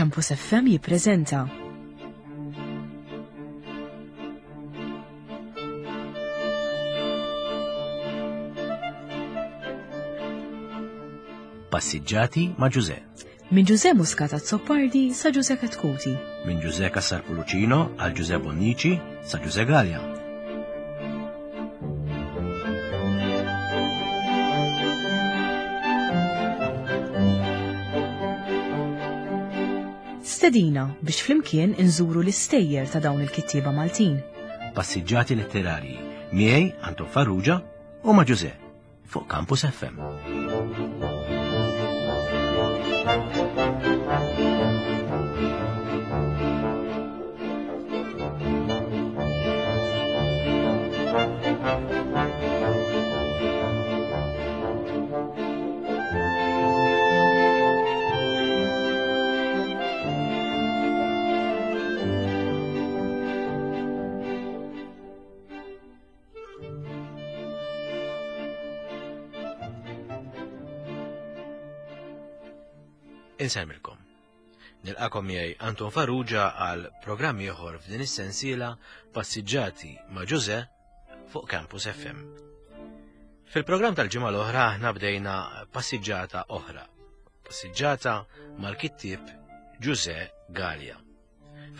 Campus FM jippreżenta. Passiġġati ma' Ġuże. Minn Ġuże Muscat Azzopardi sa Ġuże Katkuti. Minn Ġuże Cassar Pulucino għal Ġuże Bonnici sa Ġuże Gallia. Stedina biex flimkien inżuru l-istejjer ta' dawn il-kittieba Maltin. Passiġġati letterarji miegħi Anton Farrugia u ma' Ġuże fuq Campus FM. Insemmilkom. Nilqakom miegħi Anton Farrugia għal programm ieħor f'din is-sensiela Passiġġati ma' Ġuże fuq Campus FM. Fil-programm tal-ġimgħa l-oħra aħna bdejna passiġġata oħra. Passiġġata mal-kittieb Ġuże Gallia.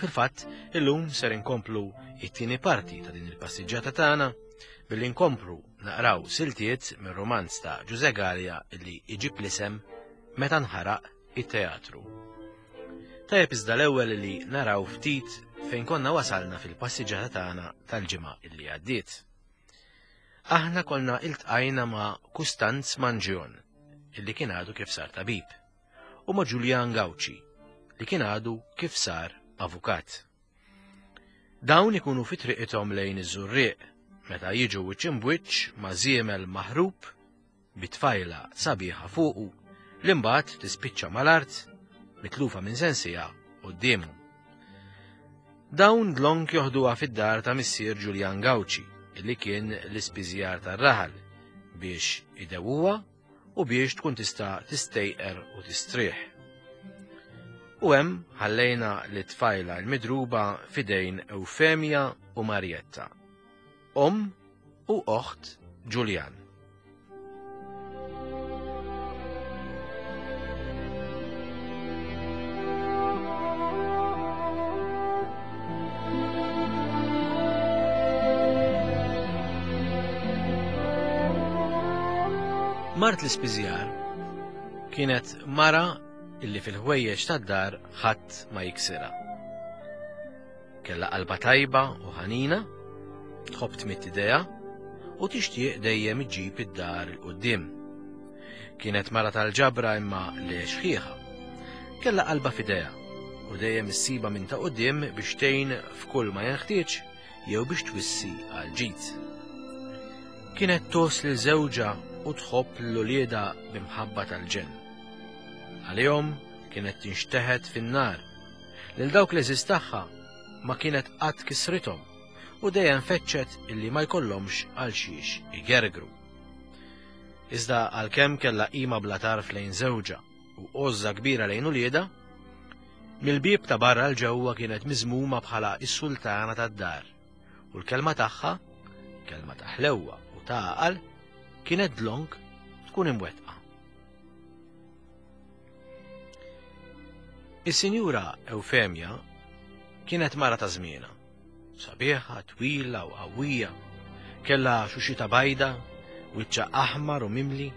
Fil-fatt, illum ser inkomplu it-tieni parti ta' din il-passiġġata tagħna billi nkomplu naqraw siltiet mir-romanz ta' Ġuże Gallia li iġib l-isem Meta nħaraq it-teatru. Tajjeb iżda l-ewwel li naraw ftit fejn konna wasalna fil-passiġġata tagħna tal-ġimgħa illi għaddiet. Aħna konna iltqajna ma' Kustanz Manġjon, illi kien għadu kif sar tabib, u ma' Ġuljan Gawċi, li kien għadu kif sar avukat. Dawn ikunu fi triqithom lejn iż-Żurrieq meta jiġu wiċċ imbwiċċ ma' żiemel maħrub bi tfajla sabiħa fuqu li mbagħad tispiċċa mal-art mitlufa minn sensiha quddiemhom. Dawn dlonk joħduha fid-dar ta' missier Ġuljan Gawċi, li kien l-ispiżjar tar-raħal, biex idewuha u biex tkun tista' tistejqer u tistrieħ. U hemm ħallejna li tfajla l-midruba fidejn Eufemia u Marietta, omm u oħt Ġuljan. Mart l-ispiżjar kienet mara illi fil-ħwejjeġ tad-dar ħadd ma jiksirha. Kellha qalba tajba u ħanina, tħobb tmidd idejha u tixtieq dejjem iġġib id-dar 'il quddiem. Kienet mara tal-ġabra imma le xħiħa. Kellha qalba f'idejha u dejjem issibha minn ta' quddiem biex tgħin f'kull ma jenħtieġ jew biex twissi għal ġid. Kienet tgħożż lil żewġha u tħobb lil uliedha b'imħabba tal-ġenn. Għalihom kienet tinxteħet fin-nar Lil dawk l-għeżież tagħha ma kienet qatt kisrithom u dejjem fettxet illi ma jkollhomx għal xiex igergru. Iżda għalkemm kellha qima bla tarf lejn żewġha u għożża kbira lejn uliedha, mill-bieb ta' barra 'l ġewwa kienet miżmuma bħala s-sultana tad-dar u l-kelma tagħha, kelma ta' ħlewwa u ta' għaqal, kienet dlonk tkun imwettqa. Is-Sinjura Eufemja kienet mara ta' żmienha. Sabiħa, twila u qawwija. Kellha xuxita bajda, wiċċha aħmar u mimli,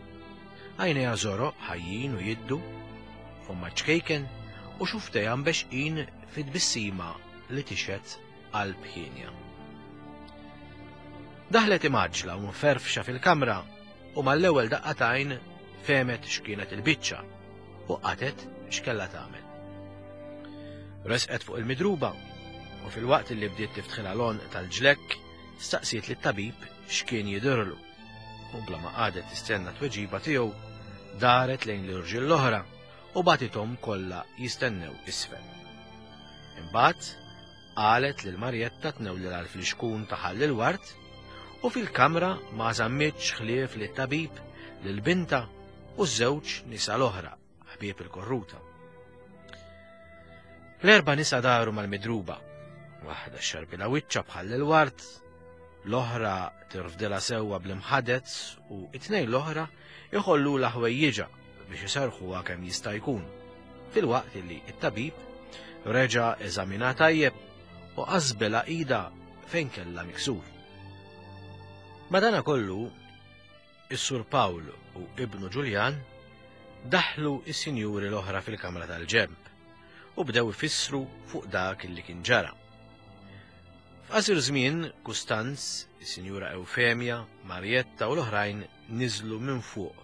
għajnejha żoroq ħajjin u jiddu, fommha ċkejken u xuftejha mbexqin fi tbissima li tixhed qalb hienja. Daħlet imgħaġġla u mferfxa fil-kamra u mal-ewwel daqqa t'għajn fehmet x'kienet il-biċċa u qatgħet x'kellha tagħmel. Resqet fuq il-midruba u filwaqt li bdiet tiftħilha l-għonq tal-ġlekk staqsiet lit-tabib x'kien jidhirlu u bla ma qagħdet tistenna tweġiba tiegħu daret lejn l-irġiel l-oħra u bagħtithom kollha jistennew isfel. Imbagħad Qalet lil Marjetta tnewlilha l-flixkun ta' ħall il-ward u fil-kamra ma żammitx ħlief lit-tabib, lil bintha u ż-żewġ nisa l-oħra, ħbieb il-korruta. L-erba' nisa daru mal-midruba. Waħda xarbilha wiċċha bħal il-ward, l-oħra tirfdilha sewwa bl-imħadet u it-tnejn l-oħra iħollulha ħwejjiġha biex iserrħuha kemm jista' jkun. Filwaqt li t-tabib reġa' eżaminha tajjeb u qasbilha idha fejn kellha miksur. Madanakollu, is-Sur Pawl u ibnu Ġuljan daħlu s-sinjuri l-oħra fil-kamra tal-ġenb u bdew ifissru fuq dak li kien ġara. F'qasir żmien, Kustanz, is-Sinjura Eufemja, Marjetta u l-oħrajn niżlu minn fuq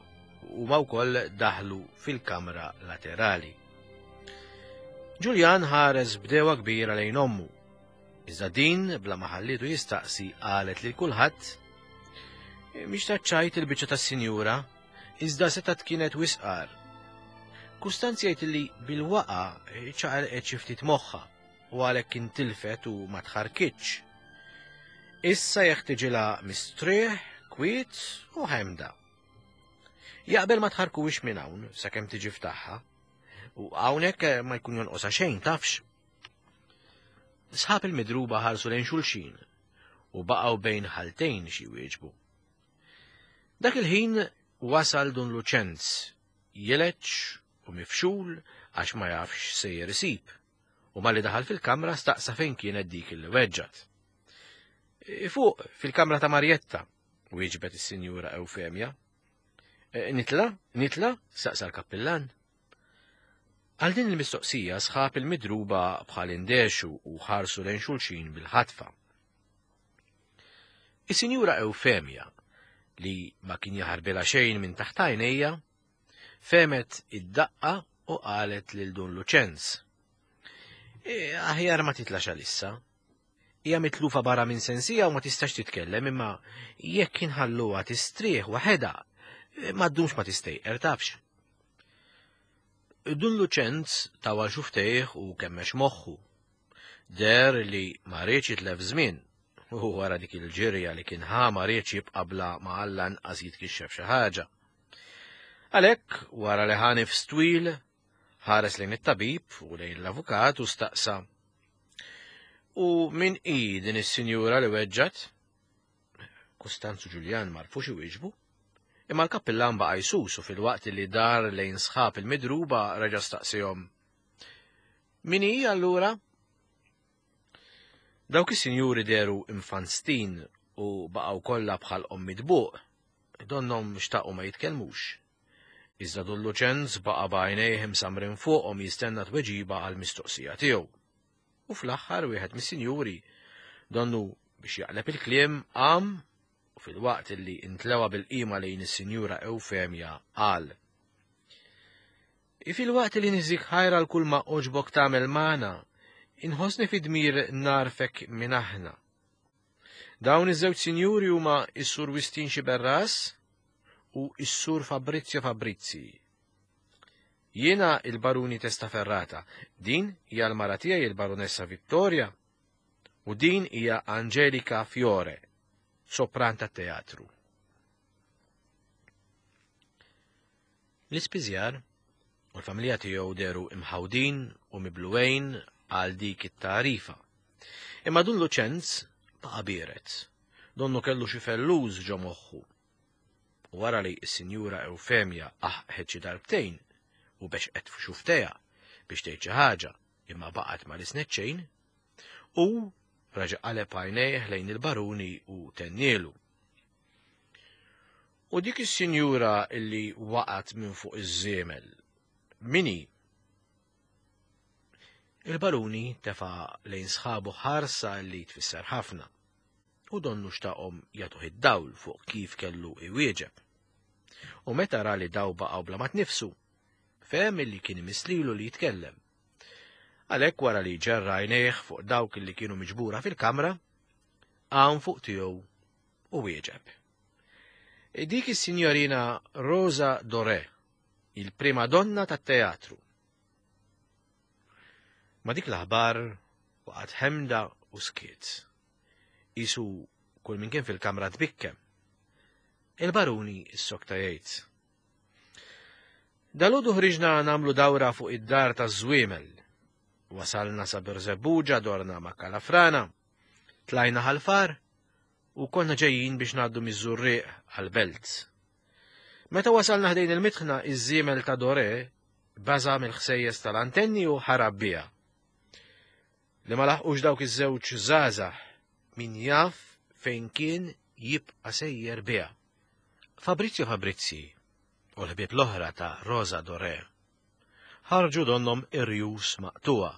u huma wkoll daħlu fil-kamra laterali. Ġuljan ħares b'dewa kbira lejn ommu. Iżda din bla ma ħallietu jistaqsi qalet lil kulħadd Mhix taċċajt il-biċċa tas-sinjura, iżda setgħet kienet wisqar. Kustanz jgħid li bil-waqa ċaqalqet xi ftit moħħha u għalhekk intilfet u ma tħarkitx. Issa jeħtiġilha mistrieħ, kwiet u ħemda. Jaqbel ma tħarkuwix minn hawn sakemm tiġi ftaħħa. U hawnhekk eh, ma jkun jonqosha xejn tafx. Sħab il-midruba ħarsu lejn xulxin u baqgħu bejn ħaltejn xi wieġbu. Dak il-ħin wasal Dun Luċenz, jileċ u mifxul għax ma jafx sejjer isib, u malli daħal fil-kamra staqsa fejn kienet dik li weġġat. Fuq, fil-kamra ta' Marjetta, wieġbet is-Sinjura Eufemja. Eh, nitla? Nitla? saqsa l-kappillan. Għal din il-mistoqsija sħab il-midruba bħal indexu u ħarsu lejn xulxin bil-ħatfa. Is-Sinjura Eufemja, li ma kien jaħarbilha xejn minn taħt għajnejja, femet id-daqqa u qalet lil Dun Luċenz. E, aħjar ma titlax għalissa, Hija mitlufa barra minn sensija u ma tistax titkellem imma jekk inħalluha tistrieħ waħedha ma ddumx ma tistejqer tafx. Dun Luċenz tawal xuftejh u kemmex moħħu. Der li ma riedx jitlef żmien u wara dik il-ġirja li kien ħa ma riedx jibqa' bla ma Alla nqas jitkixxef xi ħaġa. Għalhekk, wara li ħa nifs twil, Ħares lejn it-tabib u lejn l-avukat u staqsa. U min hi din is-sinjura li weġġat? Kustanzu Ġuljan marfux iwieġbu. Imma l-kappillan baqa' jsus u fil-waqt li dar lejn sħab il-midruba reġa' staqsihom. Min hi allura? Dawk is-sinjuri deru infanstin u baqgħu kollha bħal midbuq, donnhom xtaqu ma jitkellmux. Iżda Dun Luċenz baqa' b'għajnejh imsammrin fuqhom jistenna tweġiba għall-mistoqsija tiegħu. U fl-aħħar wieħed mis-sinjuri, donnu biex jaqleb il-kliem, qam u filwaqt li intlewa bil-qima lejn is-Sinjura Eufemja qal. Filwaqt li niżik ħajr għal kull ma għoġbok tagħmel magħna, inħossni fi dmir narfek minn aħna. Dawn iż-żewġ sinjuri huma s-Sur Wistin Xiberras u s-Sur Fabrizio Fabrizi. Jiena il-Baruni Testaferrata, din hija l-mara tiegħi il-Baronessa Vittoria u din hija Angelika Fiore, sopran tat-teatru. L-ispiżjar u l-familja tiegħu deru imħawdin u mibluwejn għal dik it-tagħrifa. Imma Dun Luċenz baqa' biered. Donnu kellu xi felluż ġo moħħu. U wara li s-Sinjura Eufemja aħqħet xi darbtejn u bexqet f'xuftejha biex tgħid xi ħaġa imma baqgħet ma lisnet xejn, hu reġa' qaleb għajnejh lejn il-baruni u tennielu. U dik is-sinjura illi waqgħet minn fuq iż-żiemel, min hi? Il-baruni tefa' lejn sħabu ħarsa li tfisser ħafna u donnu xtaqhom jagħtuh id-dawl fuq kif kellu iwieġeb. U meta ra li daw baqgħu bla ma tnifsu, fehem illi kien imisslilu li jitkellem. Għalhekk wara li ġerra għajnejh fuq dawk li kienu miġbura fil-kamra, qam fuq tiegħu u wieġeb. Dik is-sinjorina Rosa Doré, il-prima donna tat-teatru. Ma dik l-aħbar waqgħet ħemda u skiet. Isu kull min kien fil-kamra tbikkem. Il-baruni s-sokta jgħid. Dalodu ħriġna namlu dawra fuq id-dar ta' żwiemel. Wasalna sa Birżebbuġa dorna ma' Kalafrana, tlajna ħalfar u konna ġejjin biex ngħaddu miż-Żurrieq għall-belt. Meta wasalna ħdejn il-mitħna iż-żiemel ta' Dore baża mill-ħsejjes tal-antenni u ħarab biha. Li ma laħqux dawk iż-żewġ żgħażagħ min jaf fejn kien jibqa' sejjer biha. Fabrizio Fabrizi u l-ħbieb l-oħra ta' Rosa Dore ħarġu donnhom irjus maqtugħa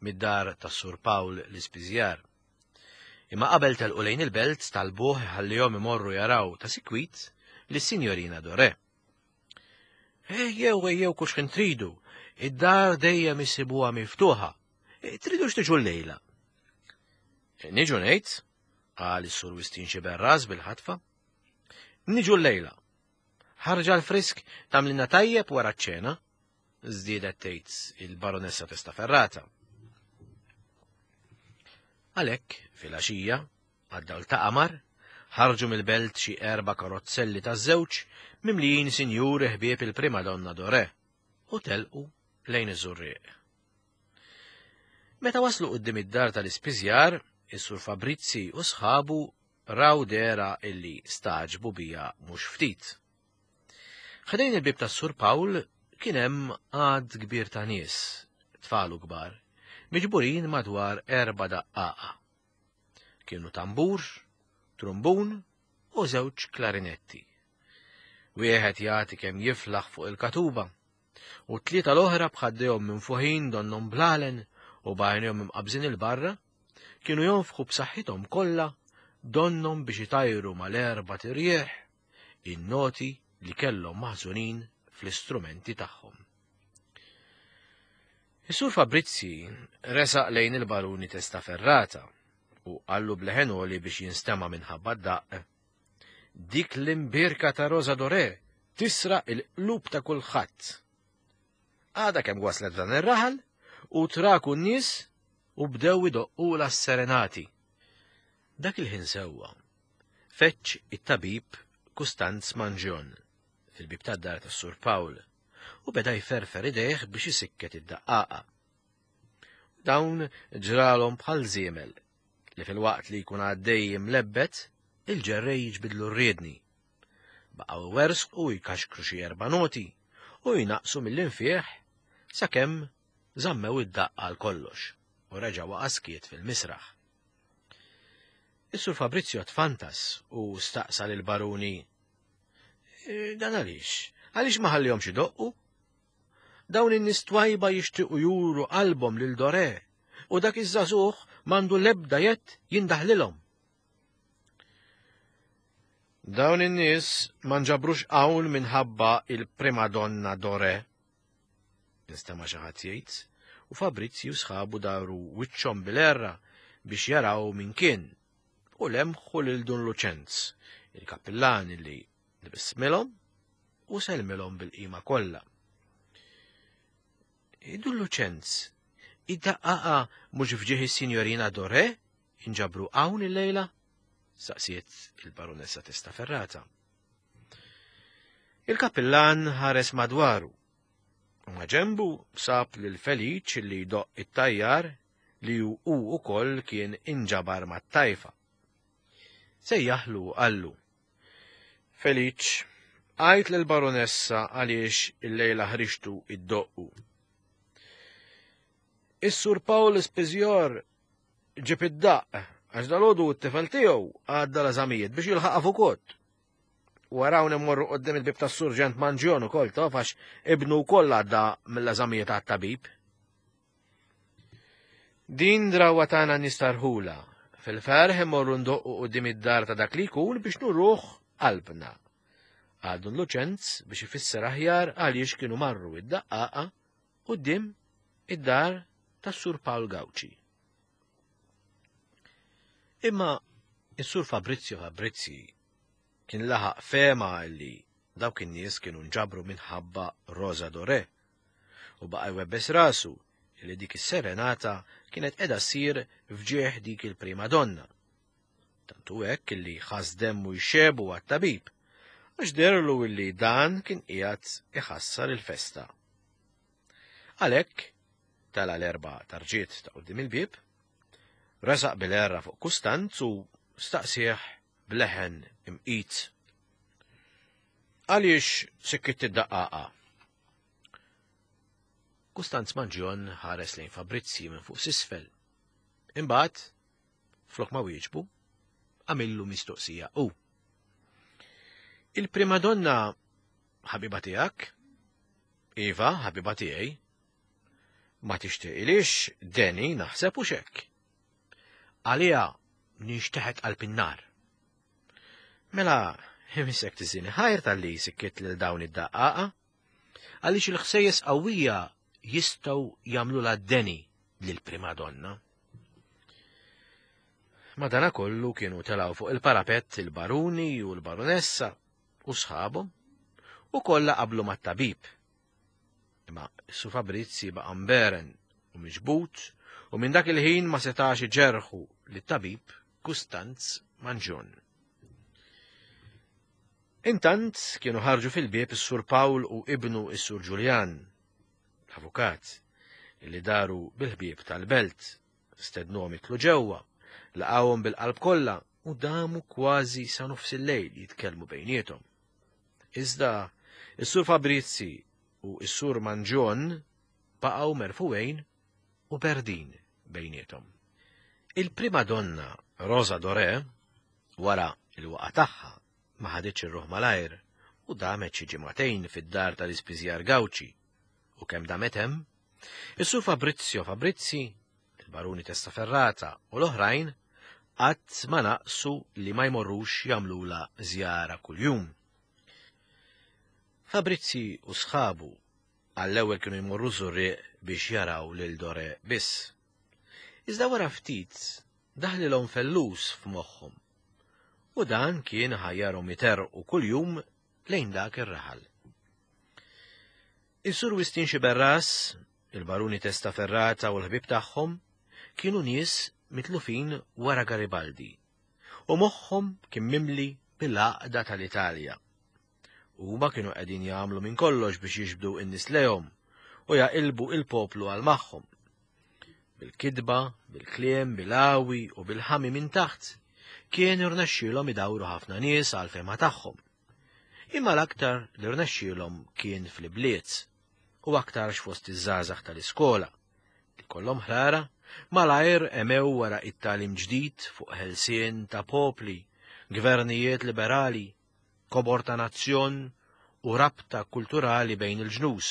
mid-dar tas-Sur Pawl l-Ispiżjar. Imma qabel telqu lejn il-belt talbuh iħallihom imorru jaraw ta' sikwit lis-Sinjorina Dore. Ejjew, ejjew kull x'ħin tridu, id-dar dejjem issibuha miftuħa. E, tridux tiġu llejla. E, niġu ngħid, qal is-Sur Wistin Xiberras bil-ħatfa. Niġu llejla. Ħarġa l-frisk tagħmlilna tajjeb wara ċ-ċena, żdiedet tgħid il-Baronessa Testaferrata. Għalhekk, filgħaxija, għad-dawl ta' qamar, ħarġu mill-belt xi erba' karozzelli taż-żewġ mimlijin sinjuri ħbieb il-Prima Donna Dore u telqu lejn iż-Żurrieq. Meta waslu quddiem id-dar tal-ispiżjar, is-Sur Fabrizzi u sħabu raw dehra illi stagħġbu biha mhux ftit. Ħdejn il-bieb tas-Sur Pawl kien hemm għadd kbir ta' nies, tfal u kbar, miġburin madwar erba' daqqaqa. Kienu tambur, trumbun u żewġ klarinetti. Wieħed jagħti kemm jiflaħ fuq il-katuba, u t-tlieta l-oħra b'ħaddejhom minfuħin donnhom blalen u b'għajnejhom imqabbżin 'il barra, kienu jonfħu b'saħħithom kollha donnhom biex itajru mal-erbat irjieħ in-noti li kellhom maħżunin fl-istrumenti tagħhom. Is-Sur Fabrizzi resaq lejn il-Baruni Testaferrata u qallu b'leħen għoli biex jinstema' minħabba d-daqq. Dik l-imbierka ta' Rosa Doré tisraq il-qlub ta' kulħadd. Għadha kemm waslet f'dan ir-raħal u traku n-nies u bdew idoqqulha s-serenati. Dak il-ħin sewwa, feġġ it-tabib Kustanz Mangion fil-bieb tad-dar tas-Sur Pawl u beda jferfer idejh biex isikket id-daqqaqa. Dawn ġralhom bħal żiemel li filwaqt li jkun għaddej imlebbet, il-ġerrej jiġbidlu r-riedni. Baqgħu iwerżqu u jkaxkru xi erba' noti u jnaqqsu mill-infiħ sakemm żammew id-daqq għal kollox u reġa' waqa' skiet fil-misraħ. Is-Sur Fabrizio tfantas u staqsa lill-Baruni, e, Dan għaliex? Għaliex ma ħallihomx idoqqu? Dawn in-nies twajba jixtiequ juru qalbhom lil Dore u dak iż-żagħżugħ m'għandu l-ebda jedd jindaħlilhom. Dawn in-nies ma nġabrux hawn minħabba il-primadonna Dore. Nistema' xi ħadd jgħid, u Fabrizzi u sħabu daru wiċċhom bil-għerra biex jaraw min kien, u lemħu lil Dun Luċenz, il-kappillan li tbissmilhom u sellmilhom bil-qima kollha. Dun Luċenz, id-daqqaqa mhux f'ġieħ is-Sinjorina Dore inġabru hawn illejla? Saqsiet il-Baronessa Testaferrata. Il-kappillan ħares madwaru u ma' ġenbu sab lil Feliċ li jdoqq it-tajjar li hu ukoll kien inġabar mat-tajfa. Sejjaħlu u qallu, Feliċ, għid lill-Baronessa għaliex illejla ħriġtu iddoqqu. Is-Sur Paul Spiżjor ġib id-daqq għax dalgħodu t-tifel tiegħu għadda l-eżamijiet biex jilħaq avukot. Wara hawn immorru qoddim il-bib tas-Surġent Manġjon ukoll taf għax ibnu wkoll għadda mill-eżamijiet għat-tabib. Din drawwa tagħna nistarħula. Fil-ferħ immorru ndoqqu qudiem id-dar ta' dak li jkun biex nuruh qalbna. Qal Dun Luċenz biex ifisser aħjar għaliex kienu marru id-daqqaqa quddiem id-dar tas-Sur Pawl Gauci. Imma is-Sur Fabrizio Fabrizzi kien laħaq fehma li dawk in-nies kienu nġabru minħabba Rosa Dore u baqa' jwebbes rasu li dik is-serenata kienet qiegħda ssir f'ġieħ dik il-prima donna. Tant hu hekk illi ħass demmu jxebu għat-tabib, għax deherlu illi dan kien qiegħed iħassar il-festa. Għalhekk, Tela' l-erba' tarġiet ta' quddiem il-bieb, resaq bil-għerra fuq Kustanz u staqsieh b'leħen imqit. Għaliex sikkitt id-daqqaqa? Kustanz Manġjon ħares lejn Fabrizzi minn fuq s'isfel. Imbagħad, flok ma wieġbu, għamillu mistoqsija u. Il-primadonna ħabiba tiegħek? Iva, ħabiba tiegħi. Ma tixtieqilix deni naħseb u xekk. Għalija nixteħet qalb in-nar. Mela, imisek tiżini ħajr tal-li sikkiet lil dawn id-daqqaqa, għaliex il-ħsejjes qawwija jistgħu jagħmlulha deni lill-primadonna. Madanakollu kienu telgħu fuq il-parapett il-baruni u l-barunessa u sħabhom u kollha qablu mat-tabib. Imma Su Fabrizzi baqa' mberen u miġbud u minn dak il-ħin ma setax iġerħu lit-tabib Kustanz Manġun. Intant kienu ħarġu fil-bieb is-Sur Pawl u ibnu is-Sur Ġuljan, l-avukat, li daru bil-ħbieb tal-belt, stednuhom jidħlu ġewwa, laqgħuhom bil-qalb kollha u damu kważi sa nofs il-lejl jitkellmu bejniethom. Iżda is-Sur Fabrizzi u s-Sur Manġon baqgħu merfugħin u berdin bejniethom. Il-primadonna Rosa Dorè, wara l-waqgħa tagħha, ma ħaditx ir-ruħ malajr u damet xi ġimagħtejn fid-dar tal-Ispiżjar Gawċi u kemm damet hemm, is-Sur Fabrizio Fabrizzi, il-Baruni Testaferrata u l-oħrajn qatt ma naqsu li ma jmorrux jagħmlulha żjara kuljum. Fabrizzi u sħabu għall-ewwel kienu jmorru Żurrieq biex jaraw lil Dore biss. Iżda wara ftit daħlilhom fellus f'moħħhom. U dan kien ħajjarhom iterrqu kuljum lejn dak ir-raħal. Is-Sur Wistin Xiberras, il-Baruni Testaferrata u l-ħbieb tagħhom kienu nies mitlufin wara Garibaldi u moħħhom kien mimli bil-għaqda tal-Italja. Huma kienu qegħdin jagħmlu minn kollox biex jiġbdu n-nies lejhom u jaqilbu il-poplu għal magħhom. Bil-kitba, bil-kliem, bil-għawi u bil-ħami minn taħt, kien irnexxielhom idawru ħafna nies għal fehma tagħhom. Imma l-aktar li rnexxielhom kien fl-ibliet u aktarx fost iż-żgħażagħ tal-iskola li kollhom ħrara malajr emew wara it-tagħlim ġdid fuq ħelsien ta' popli, gvernijiet liberali, kobor ta' nazzjon u rabta kulturali bejn il-ġnus.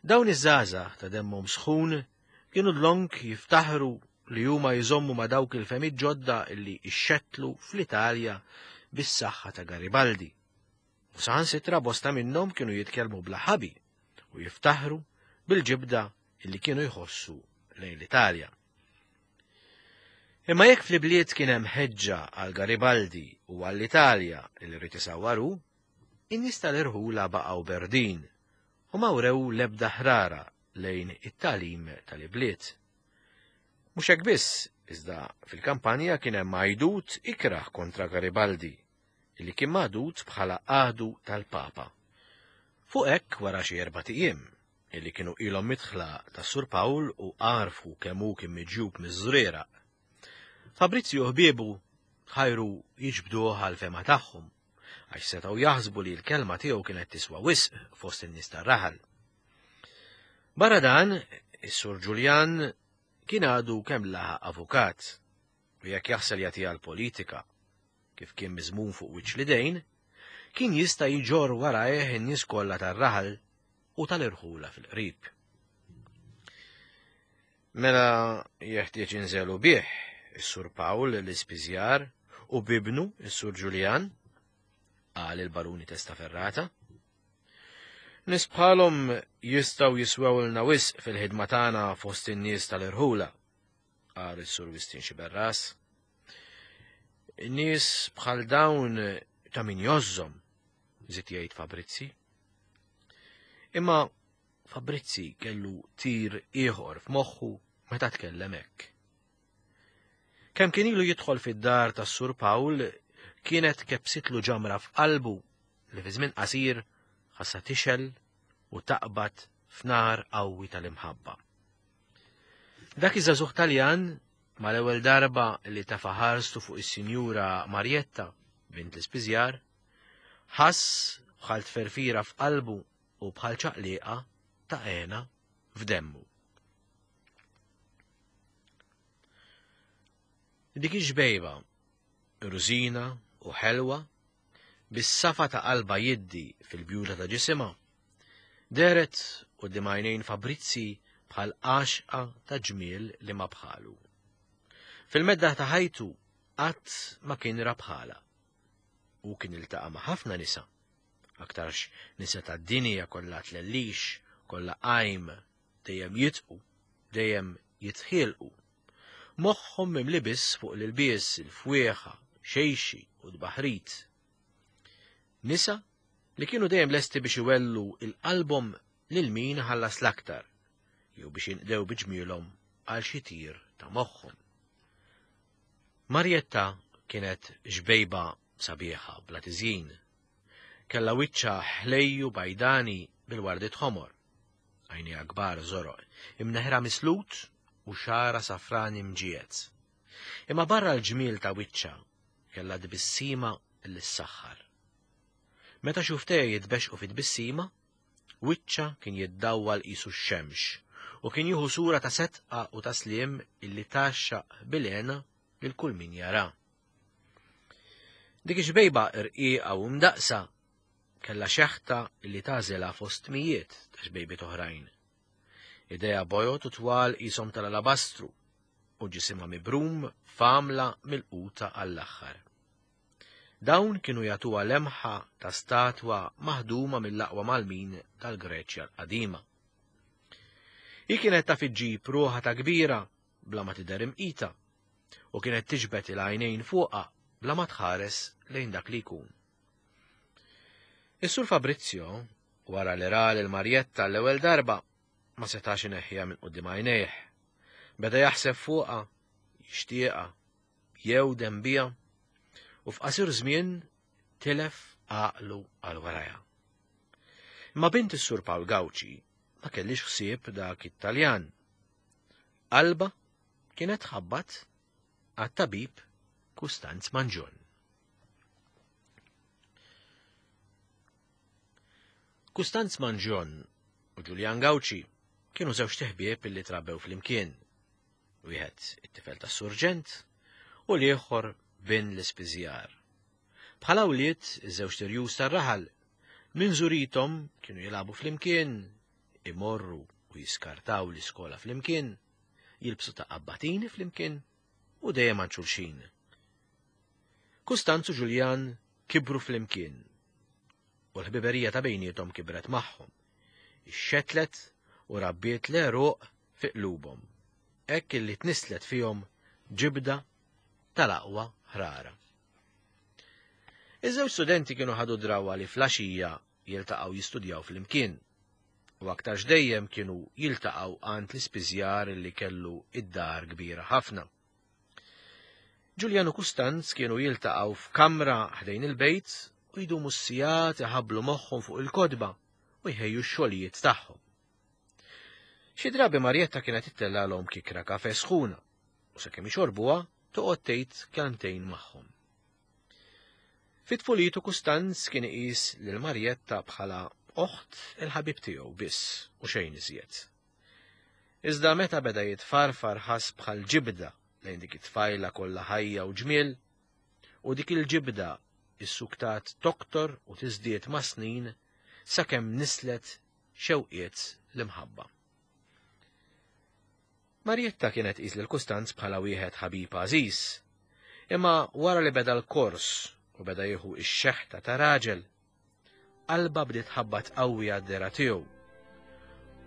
Dawn iż-żgħażagħ ta' demmhom sħun kienu dlonk jiftaħru li huma jżommu ma' dawk il-fehmiet ġodda li xxettlu fl-Italja bis-saħħa ta' Garibaldi. U saħansitra bosta minnhom kienu jitkellmu bla ħabi u jiftaħru bil-ġibda li kienu jħossu lejn l-Italja. Imma jekk fl-ibliet kien hemm ħeġġa għal Garibaldi u għall-Italja li rrid isawwar hu, in-nies tal-irħula baqgħu berdin u ma wrew l-ebda ħrara lejn it-tagħlim tal-ibliet. Mhux hekk biss, iżda fil-kampanja kien hemm għajdut ikrah kontra Garibaldi, li kien magħdud bħala għadu tal-Papa. Fuq hekk wara xi erbat ijiem, illi kienu ilhom midħla tas-Sur Pawl u għarfu kemm hu kien miġjub miż-Żrieraq. Fabrizio u ħbiebu tħajru jiġbduh għall-fehma tagħhom, għax setgħu jaħsbu li l-kelma tiegħu kienet tiswa wisq fost in-nies tar-raħal. Barra dan, is-Sur Ġuljan kien għadu kemm laħaq avukat, u jekk jaħsel jagħtiha l-politika, kif kien miżmum fuq wiċċ l-idejn, kien jista' jġorr warajh in-nies kollha tar-raħal u tal-irħula fil-qrib. Mela jeħtieġ inżelu bih is-Sur Pawl l-Ispiżjar u bibnu is-Sur Ġuljan, qal il-Baruni Testaferrata. Nies bħalhom jistgħu jiswewlna wisq fil-ħidma tagħna fost in-nies tal-irħula, qal is-Sur Wistin Xiberras. Nies bħal dawn ta' min jożżhom, żied jgħid Fabrizzi. Imma Fabrizzi kellu tir ieħor f'moħħu meta tkellem hekk. Kemm kien ilu jidħol fid-dar tas-Sur Pawl kienet kebsitlu ġamra f'qalbu li fi żmien qasir ħassa tixel u taqbad f'nar qawwi tal-imħabba. Dak iż-żagħżugħ Taljan mal-ewwel darba li tafa' ħarstu fuq is-Sinjura Marjetta, bint l-ispiżjar, ħass bħal tferfira f'qalbu u bħal ċaqliqa ta' għena f'demmu. Dik ix-xbejba, rużina u ħelwa, bis-safa ta' qalba jiddi fil-bjuda ta' ġisimha, dehret quddiem għajnejn Fabrizzi bħal għaxqa ta' ġmiel li ma bħalu. Fil-medda ta' ħajtu qatt ma kien ra bħalha. Hu kien iltaqa' ma' ħafna nisa, aktarx nisa tad-dinja kollha tlellix, kollha qajm, dejjem jitqu, dejjem jitħielqu. Moħħhom mimli biss fuq l-ilbies, il-fwieħa, xejxi u tbaħrit. Nisa li kienu dejjem lesti biex iwellu il-qalbhom lil min ħallas l-aktar, jew biex jinqdew bi ġmielhom għal xi tir ta' moħħhom. Marjetta kienet xbejba sabiħa bla tiżjin. Kellha wiċċha ħlejju bajdani bil-wardiet ħomor. Għajnejha kbar żoroq, imneħra mislut u xagħarha safrani mġiegħed. Imma barra l-ġmiel ta' wiċċha kellha tbissima li ssaħħar. Meta xuftejha jitbexqu fi tbissima, wiċċha kien jiddawwal qisu x-xemx u kien jieħu sura ta' setqa u ta' sliem illi tgħaxxaq bil-hena lil kull min jara. Dik ix-xbejba rqiqa u mdaqqsa kellha xeħta li tagħżilha fost mijiet ta' xbejbiet oħrajn. Idejha bojod u twal qishom tal-alabastru u ġisimha mibrum f'għamla milquta għall-aħħar. Dawn kienu jagħtuha lemħa ta' statwa maħduma mill-aqwa malmin tal-Greċja l-qadima. Hi kienet taf iġġib ruħha ta' kbira bla ma tidher imqita u kienet tiġbed il-għajnejn fuqha bla ma tħares lejn dak li jkun. Is-Sur Fabrizio, wara li ra lil Marjetta l-ewwel darba, ma setax ineħħiha minn quddiem għajnejh. Beda jaħseb fuqha, jixtieqha, jewdem biha, u f'qasir żmien tilef għaqlu għal warajha. Imma bint is-Sur Pawl Gawċi ma kellix ħsieb dak it-Taljan. Qalbha kienet tħabbat għat-tabib Kustanz Manġon. Kustanz Manġon u Ġuljan Gawċi kienu żewġ teħbieb illi trabbew flimkien. Wieħed it-tifel tas-surġent u l-ieħor bin l-ispiżjar. Bħala wlied iż-żewġ tirjus tar-raħal, minn żurithom kienu jilagħbu flimkien, imorru u jiskartaw l-iskola flimkien, jilbsu ta' qabbatini flimkien u dejjem għand xulxin. Kustanz u Ġuljan kibru flimkien u l-ħbiberija ta' bejniethom kibret magħhom. Ixxetlet u rabbiet l-għeruq fi qlubhom, hekk illi tnisslet fihom ġibda tal-aqwa ħrara. Iż-żewġ studenti kienu ħadu drawwa li flaxija jiltaqgħu jistudjaw flimkien u aktarx dejjem kienu jiltaqgħu għand l-ispiżjar li kellu id-dar kbira ħafna. Ġuljanu Kustanz kienu jiltaqgħu f'kamra ħdejn il-bejt u jdumu s-sigħat iħabblu moħħhom fuq il-kotba u jħejju x-xogħlijiet tagħhom. Xi drabi Marjetta kienet ittellgħalhom kikra kafe sħuna u sakemm ixorbuha toqgħod tgħid kelmtejn magħhom. Fi tfulitu Kustanz kien iqis lil Marjetta bħala oħt il-ħabib tiegħu biss u xejn iżjed. Iżda meta beda jitfarfar ħass bħal ġibda lejn dik it-tfajla kollha ħajja u ġmiel, u dik il-ġibda issuktat toktor u tiżdied mas-snin sakemm nislet xewqiet l-imħabba. Marjetta kienet tqis lil Kustanz bħala wieħed ħabib għażiż. Imma wara li beda l-kors u beda jieħu x-xeħta ta' raġel, qalbha bdiet tħabbat qawwi għad-dehra tiegħu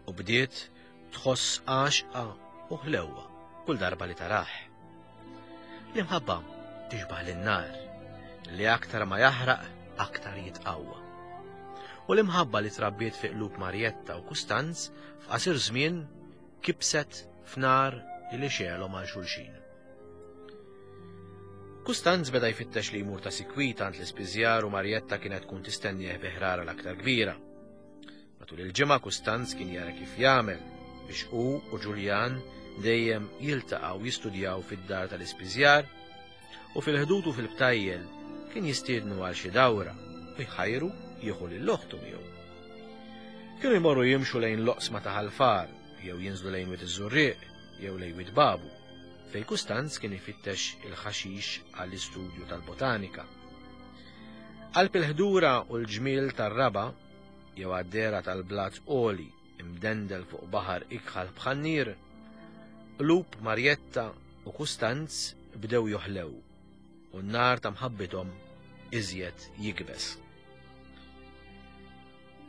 u bdiet tħoss għaxqa u ħlewwa kull darba li tarah. L-imħabba tixbah lin-nar li aktar ma jaħraq aktar jitqawwa. U l-imħabba li trabbiet fi qlub Marjetta u Kustanz f'qasir żmien kibset f'nar li xegħelhom għal xulxin. Kustanz beda jfittex li jmur ta' sikwit għand l-ispiżjar u Marjetta kienet tkun tistennieh bi ħrara l-aktar kbira. Matul il-ġimgħa Kustanz kien jara kif jagħmel. biex hu u Ġuljan dejjem jiltaqgħu jistudjaw fid-dar tal-ispiżjar u fil-ħdud u fil-btajjel kien jistiednu għal xi dawra u jħajru jieħu lil oħtu miegħu. Kienu jmorru jimxu lejn l-oqsma ta' Ħal Far jew jinżlu lejn Wied iż-Żurrieq jew lejn Wied Babu, fejn Kustanz kien ifittex il-ħaxix għall-istudju tal-botanika. Qalb il-ħdura u l-ġmiel tar-raba' jew għad-dehra tal-blat għoli imdendel fuq baħar ikħal bħan-nier, qlub Marjetta u Kustanz bdew joħlew u n-nar ta' mħabbithom iżjed jikbes.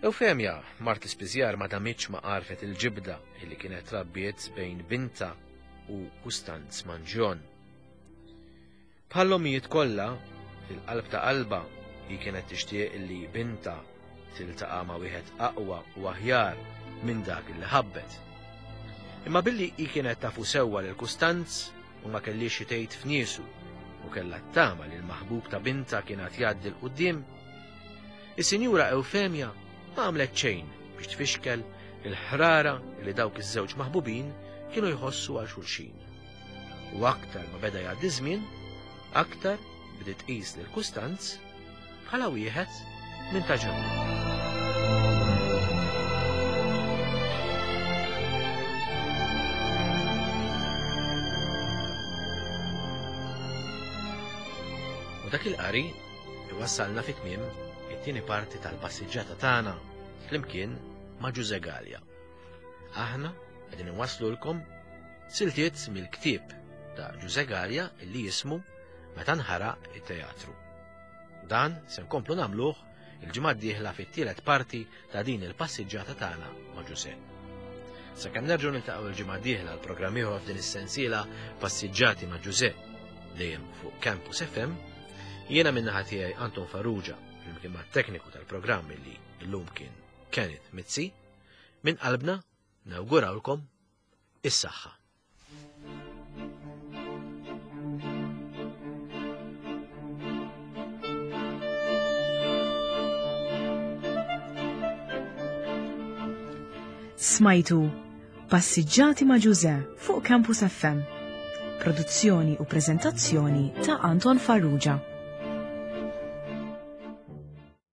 Eufemja, mart l-ispiżjar ma damitx ma għarfet il-ġibda illi kienet trabbiet bejn bintha u Kustanz Manġjon. Bħall-ommijiet kollha, fil-qalb ta' qalbha hi kienet tixtieq li bintha tiltaqa' ma' wieħed aqwa u aħjar minn dak li ħabbet. Imma billi hi kienet tafu sewwa lil Kustanz u ma kellhiex xi tgħid f'niesu u kellha t-tama li l-maħbub ta' bintha kien għad jgħaddi 'l quddiem, is-Sinjura Eufemja ma għamlet xejn biex tfixkel il-ħrara li dawk iż-żewġ maħbubin kienu jħossu għal xulxin. U aktar ma beda jgħaddi żmien, aktar bdiet tqis lil Kustanz bħala wieħed minn ta' ġewwa. U dak il-qari iwassalna fi tmiem it-tieni parti tal-passiġġata tagħna flimkien ma' Ġuże Galea. Aħna qegħdin inwasslulkom siltiet mill-ktieb ta' Ġuże Galea illi jismu Meta nħaraq it-teatru. Dan se nkomplu nagħmluh il-ġimgħa d-dieħla fit-tielet parti ta' din il-passiġġata tagħna ma' Ġuże. Sakemm nerġgħu niltaqgħu l-ġimgħa d-dieħla l-programm ieħor f'din is-sensiela Passiġġati ma' Ġuże dejjem fuq Campus FM, jiena min-naħa tiegħi Anton Farrugia flimkien mat-tekniku tal-programm illi llum kien Kenneth Mizzi, minn qalbna nawgurawlkom is-saħħa. Smajtu Passiġġati ma' Ġuże fuq Campus FM. Produzzjoni u preżentazzjoni ta' Anton Farrugia.